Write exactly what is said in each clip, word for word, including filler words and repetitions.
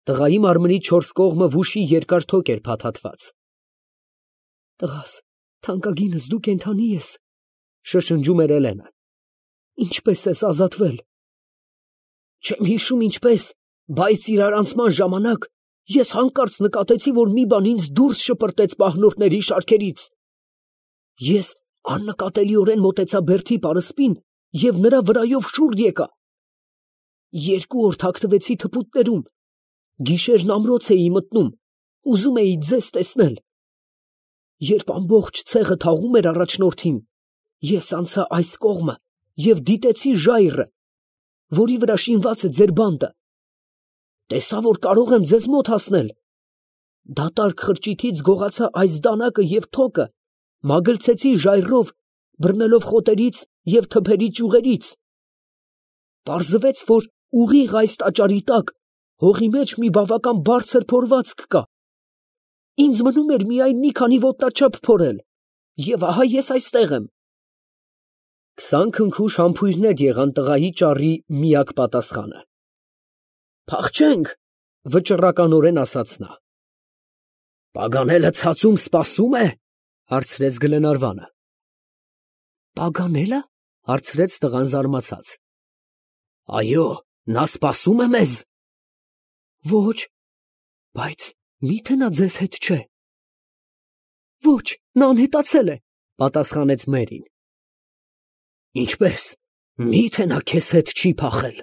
Տղայի մարմնի չորս կողմը վուշի երկար թոկ էր փաթաթված։ Տղաս, թանկագինս, դու կենդանի ես, շշնջում էր Էլենը։ Ինչպես ես ազատվել։ Չեմ հիշում ինչպես, բայց իրարանցման ժամանակ ես հանկարծ նկատեցի, որ մի բան ինձ դուրս շպրտեց պահնորդների շարքերից։ Ես աննկատելիորեն մոտեցա բերդի պարսպին և նրա վրայով շուռ եկա։ Երկու օր թաքնվեցի թփուտներում, գիշերն ամրոց էի մտնում, ուզում էի ձեզ տեսնել։ Երբ ամբողջ ցեղը թաղում էր առաջնորդին, ես անցա այս կողմը և դիտեցի ժայռը, որի վրա շինված է ձեր բանտը։ Տեսա, որ կարող եմ ձեզ մոտ հասնել։ Դատարկ խրճիթից գողացա այս դանակը և թոկը, մագլցեցի ժայռով, բռնելով խոտերից և թփերի ճյուղերից։ Պարզվեց, որ ուղիղ այս տաճարի տակ հողի մեջ մի բավական բարձր փորվածք կա։ Ինձ մնում էր միայն մի քանի ոտնաչափ փորել, և ահա ես այստեղ եմ։ Քսան քնքուշ համբույրներ եղան տղայի ճառի միակ պատասխանը։ Փախչենք, վճռականորեն ասաց նա։ Պագանելը ցածում սպասում է, հարցրեց Գլենարվանը։ Պագանելը, հարցրեց տղան զարմացած։ Այո, նա սպասում է մեզ։ Ոչ, բայց մի՞թե նա ձեզ հետ չէ։ Ոչ, նա անհետացել է, պատասխանեց Մերին։ Ինչպես, մի՞թե նա քեզ հետ չի փախել,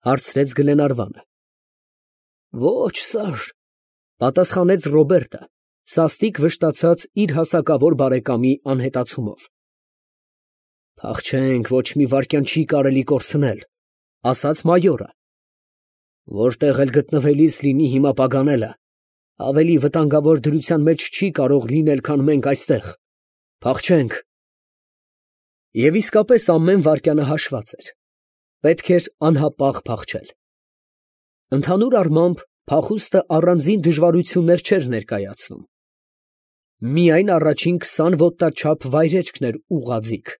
հարցրեց Գլենարվանը։ Ոչ, սար, պատասխանեց Ռոբերտը, սաստիկ վշտացած իր հասակավոր բարեկամի անհետացումով։ Փախչենք, ոչ մի վայրկյան չի կարելի կորցնել, ասաց մայորը։ Որտեղ էլ գտնվելիս լինի հիմա Պագանելը, ավելի վտանգավոր դրության մեջ չի կարող լինել, քան մենք այստեղ։ Փախչենք։ Եվ իսկապես ամեն վայրկյանը հաշված էր։ Պետք էր անհապաղ փախչել։ Ընդհանուր առմամբ փախուստը առանձին դժվարություններ չէր ներկայացնում։ Միայն առաջին քսան ոտնաչափ վայրեջքն էր ուղղաձիգ։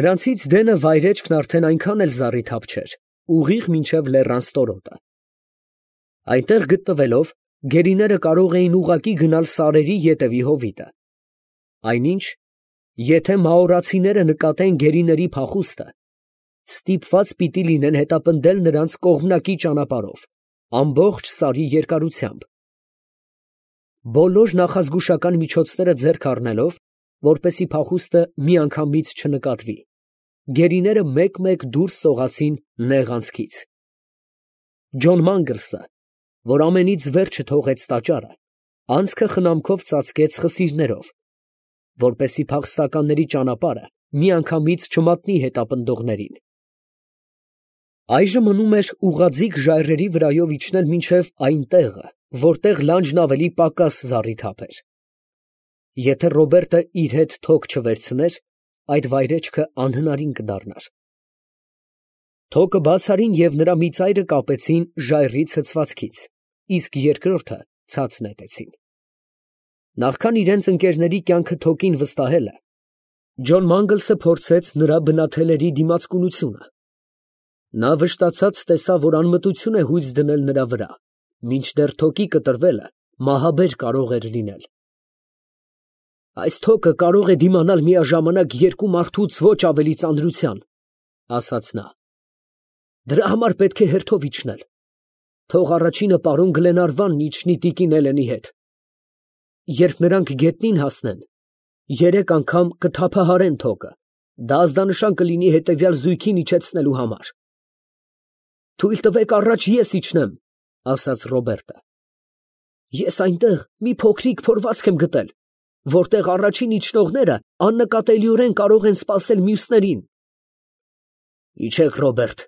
Նրանցից դենը վայրեջքն արդեն այնքան էլ զառիթափ չէր, ուղիղ մինչև լեռան ստորոտը։ Այնտեղ գտնվելով, գերիները կարող էին ուղղակի գնալ սարերի ետևի հովիտը։ Այնինչ, եթե մաորացիները նկատեն գերիների փախուստը, ստիպված պիտի լինեն հետապնդել նրանց կողմնակի ճանապարհով, ամբողջ սարի երկարությամբ։ Բոլոր նախազգուշական միջոցները ձեռք առնելով, որպեսզի փախուստը միանգամից չնկատվի, գերիները մեկ֊մեկ դուրս սողացին նեղ անցքից։ Ջոն Մանգլսը, որ ամենից վերջը թողեց տաճարը, անցքը խնամքով ծածկեց խսիրներով, որպեսզի փախստականների ճանապարհը միանգամից չմատնի հետապնդողներին։ Այժմ մնում էր ուղղաձիգ ժայռերի վրայով իջնել մինչև այն տեղը, որտեղ լանջն ավելի պակաս զառիթափ էր։ Եթե Ռոբերտը իր հետ թոկ չվերցներ, այդ վայրեջքը անհնարին կդառնար։ Թոկը բաց արին և նրա մի ծայրը կապեցին ժայռի ցցվածքից, իսկ երկրորդը ցած նետեցին։ Նախքան իրենց ընկերների կյանքը թոկին վստահելը, Ջոն Մանգլսը փորձեց նրա բնաթելերի դիմացկունությունը։ Նա վշտացած տեսավ, որ անմտություն է հույս դնել նրա վրա, մինչդեռ թոկի կտրվելը մահաբեր կարող էր լինել։ Այս թոկը կարող է դիմանալ միաժամանակ երկու մարդուց ոչ ավելի ծանրության, ասաց նա։ Դրա համար պետք է հերթով իջնել։ Թող առաջինը պարոն Գլենարվանն իջնի տիկին Էլենի հետ։ Երբ նրանք գետնին հասնեն, երեք անգամ կթափահարեն թոկը, դա ազդանշան կլինի հետևյալ զույգին իջեցնելու համար։ Թույլ տվեք առաջ ես իջնեմ, ասաց Ռոբերտը։ Ես այնտեղ մի փոքրիկ փորվածք եմ գտել, որտեղ առաջին իջնողները աննկատելիորեն կարող են սպասել մյուսներին։ Իջեք, Ռոբերտ,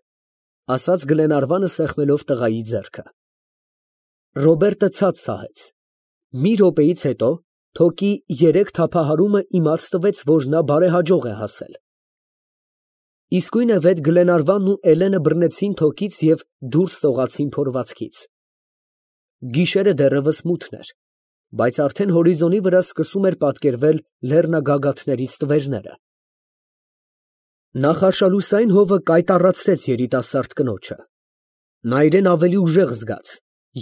ասաց Գլենարվանը սեղմելով տղայի ձեռքը։ Ռոբերտը ցած սահեց։ Մի րոպեից հետո թոկի երեք թափահարումը իմացտվեց, որ նա բարեհաջող է հասել։ Իսկույնևեթ Գլենարվանն ու Էլենը բռնեցին թոկից և դուրս սողացին փորվածքից։ Գիշերը դեռևս մութն էր, բայց արդեն հորիզոնի վրա սկսում էր պատկերվել լեռնագագաթների ստվերները։ Նախարշալուսային հովը կայտառացրեց երիտասարդ կնոջը։ Նա իրեն ավելի ուժեղ զգաց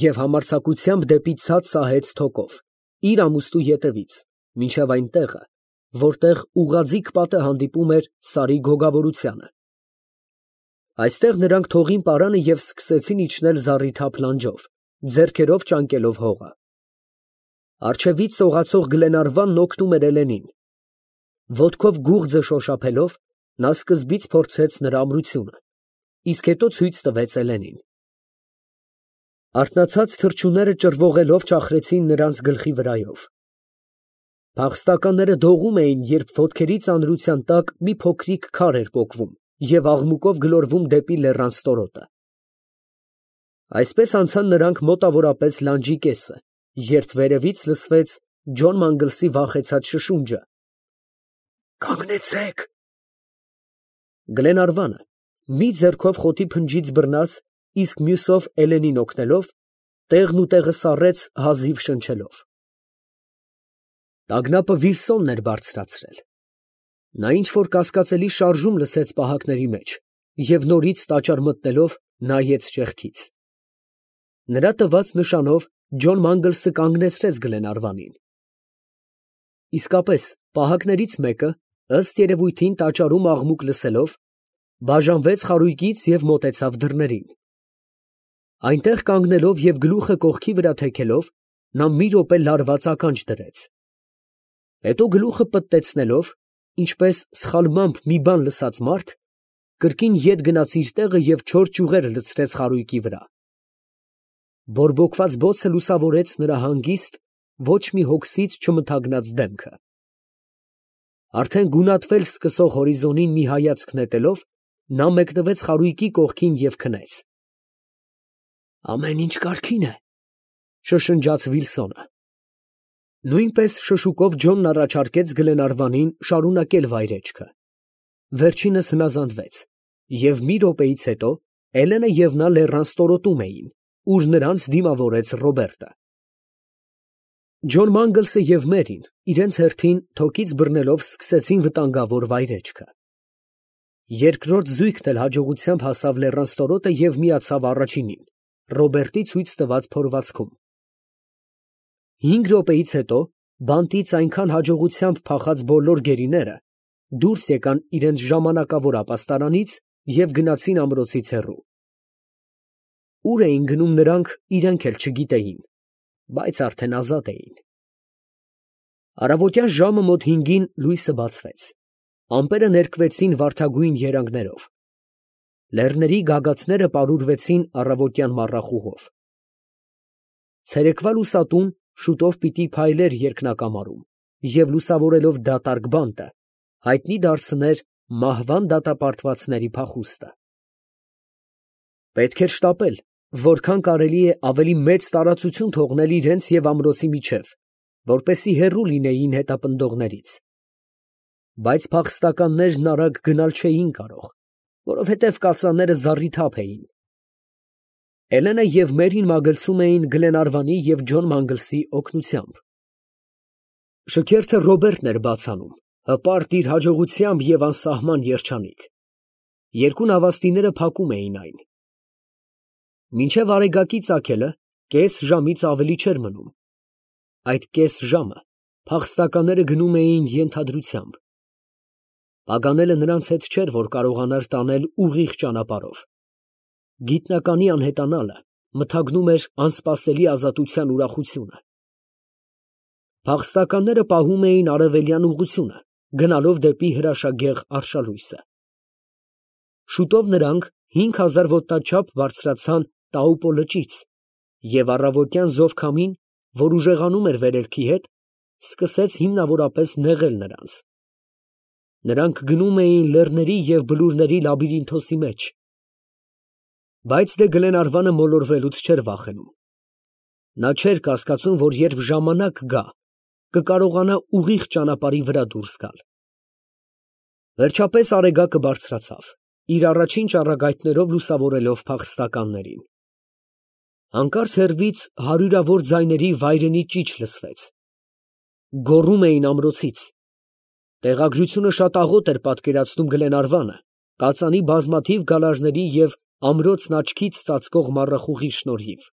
և համարձակությամբ դեպի ցած սահեց թոկով, իր ամուստու ետևից, մինչև այն տեղը, որտեղ ուղղաձիգ պատը հանդիպում էր Սարի գոգավորությանը։ Այստեղ նրանք թողին պարանը և սկսեցին իջնել զառիթափ լանջով, ձեռքերով ճանկելով հողը։ Առջևից սողացող Գլենարվանն օգնում էր Էլենին։ Ոտքով գուղձը շոշափելով, նա սկզբից փորձեց նրա ամրությունը, իսկ հետո ցույց տվեց Էլենին։ Արթնացած թռչունները ճռվողելով ճախրեցին նրանց գլխի վրայով։ Փախստականները դողում էին, երբ ոտքերի ծանրության տակ մի փոքրիկ քար էր պոկվում և աղմուկով գլորվում դեպի լեռան ստորոտը։ Այսպես անցան նրանք մոտավորապես լանջի կեսը, երբ վերևից լսվեց Ջոն Մանգլսի վախեցած շշունջը. «Կանգնեցե՛ք»։ Գլենարվանը մի ձեռքով խոտի փնջից բռնած, իսկ մյուսով Էլենին օգնելով, տեղն ու տեղը սառեց հազիվ շնչելով։ Տագնապը Վիլսոնն էր բարձրացրել։ Նա ինչ֊որ կասկածելի շարժում լսեց պահակների մեջ և նորից տաճար մտնելով, նայեց ճեղքից։ Նրա տված նշանով Ջոն Մանգլսը կանգնեցրեց Գլենարվանին։ Իսկապես, պահակներից մեկը, ըստ երևույթին տաճարում աղմուկ լսելով, բաժանվեց խարույկից և մոտեցավ դռներին։ Այնտեղ կանգնելով և գլուխը կողքի վրա թեքելով, նա մի րոպե լարված ականջ դրեց։ Հետո գլուխը պտտեցնելով, ինչպես սխալմամբ մի բան լսած մարդ, կրկին ետ գնաց իր տեղը և չոր ճյուղերը լցրեց խարույկի վրա։ Բորբոքված բոցը լուսավորեց նրա հանգիստ, ոչ մի հոգսից չմթագնած դեմքը։ Արդեն գունատվել սկսող հորիզոնին մի հայացք նետելով, նա մեկնվեց խարույկի կողքին և քնեց։ «Ամեն ինչ կարգին է», շշնջաց Վիլսոնը։ Նույնպես շշուկով Ջոնն առաջարկեց Գլենարվանին շարունակել վայրեջքը։ Վերջինս հնազանդվեց, և մի րոպեից հետո Էլենը և նա լեռան ստորոտում էին, ուր նրանց դիմավորեց Ռոբերտը։ Ջոն Մանգլսը և Մերին իրենց հերթին թոկից բռնելով սկսեցին վտանգավոր վայրեջքը։ Երկրորդ զույգն էլ հաջողությամբ հասավ լեռան ստորոտը և միացավ առաջինին, Ռոբերտի ցույց տված փորվածքում։ Հինգ րոպեից հետո բանտից այնքան հաջողությամբ փախած բոլոր գերիները դուրս եկան իրենց ժամանակավոր ապաստարանից և գնացին ամրոցից հեռու։ Ուր էին գնում նրանք, իրենք էլ չգիտեին, բայց արդեն ազատ էին։ Առավոտյան ժամը մոտ հինգին լույսը բացվեց, ամպերը ներկվեցին վարդագույն երանգներով։ Լեռների գագաթները պարուրվեցին առավոտյան մառախուղով։ Ցերեկվա լուսատուն շուտով պիտի փայլեր երկնակամարում և լուսավորելով դատարկ բանտը, հայտնի դարձներ մահվան դատապարտվածների փախուստը։ Պետք էր շտապել, որքան կարելի է ավելի մեծ տարածություն թողնել իրենց և ամրոցի միջև, որպեսզի հեռու լինեին հետապնդողներից։ Բայց փախստականներն արագ գնալ չէին կարող, որովհետև կածանները զառիթափ էին։ Էլենը և Մերին մագլցում էին Գլենարվանի և Ջոն Մանգլսի օգնությամբ։ Շքերթը Ռոբերտն էր բաց անում, հպարտ իր հաջողությամբ և անսահման երջանիկ։ Երկու նավաստիները փակում էին այն։ Մինչև արեգակի ծագելը կես ժամից ավելի չէր մնում։ Այդ կես ժամը փախստականները գնում էին ենթադրությամբ։ Պագանելը նրանց հետ չէր, որ կարողանար տանել ուղիղ ճանապարհով։ Գիտնականի անհետանալը մթագնում էր անսպասելի ազատության ուրախությունը։ Փախստականները պահում էին արևելյան ուղղությունը, գնալով դեպի հրաշագեղ արշալույսը։ Շուտով նրանք հինգ հազար ոտնաչափ բարձրացան Տաուպո լճից և առավոտյան զով քամին, որ ուժեղանում էր վերելքի հետ, սկսեց հիմնավորապես նեղել նրանց։ Նրանք գնում էին լեռների և բլուրների լաբիրինթոսի մեջ։ Բայց դե Գլենարվանը մոլորվելուց չէր վախենում։ Նա չէր կասկածում, որ երբ ժամանակ գա, կկարողանա ուղիղ ճանապարհի վրա դուրս գալ։ Վերջապես արեգակը բարձրացավ, իր առաջին ճառագայթներով լուսավորելով փախստականներին։ Հանկարծ հեռվից հարյուրավոր ձայների վայրենի ճիչ լսվեց։ Գոռում էին ամրոցից։ Տեղագրությունը շատ աղոտ էր պատկերացնում Գլենարվանը կածանի բազմաթիվ գալարների և ամրոցն աչքից ծածկող մառախուղի շնորհիվ։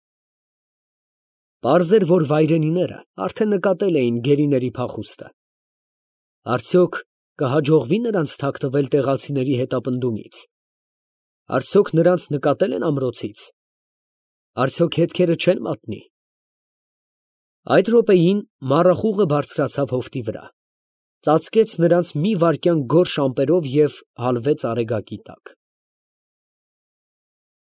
Պարզ էր, որ վայրենիները արդեն նկատել էին գերիների փախուստը։ Արդյոք կհաջողվի՞ նրանց թաքնվել տեղացիների հետապնդումից։ Արդյոք նրանց նկատել են ամրոցից։ Արդյոք հետքերը չեն մատնի։ Այդ րոպեին մառախուղը բարձրացավ հովտի վրա, ծածկեց նրանց մի վայրկյան գորշ ամպերով և հալվեց արեգակի տակ։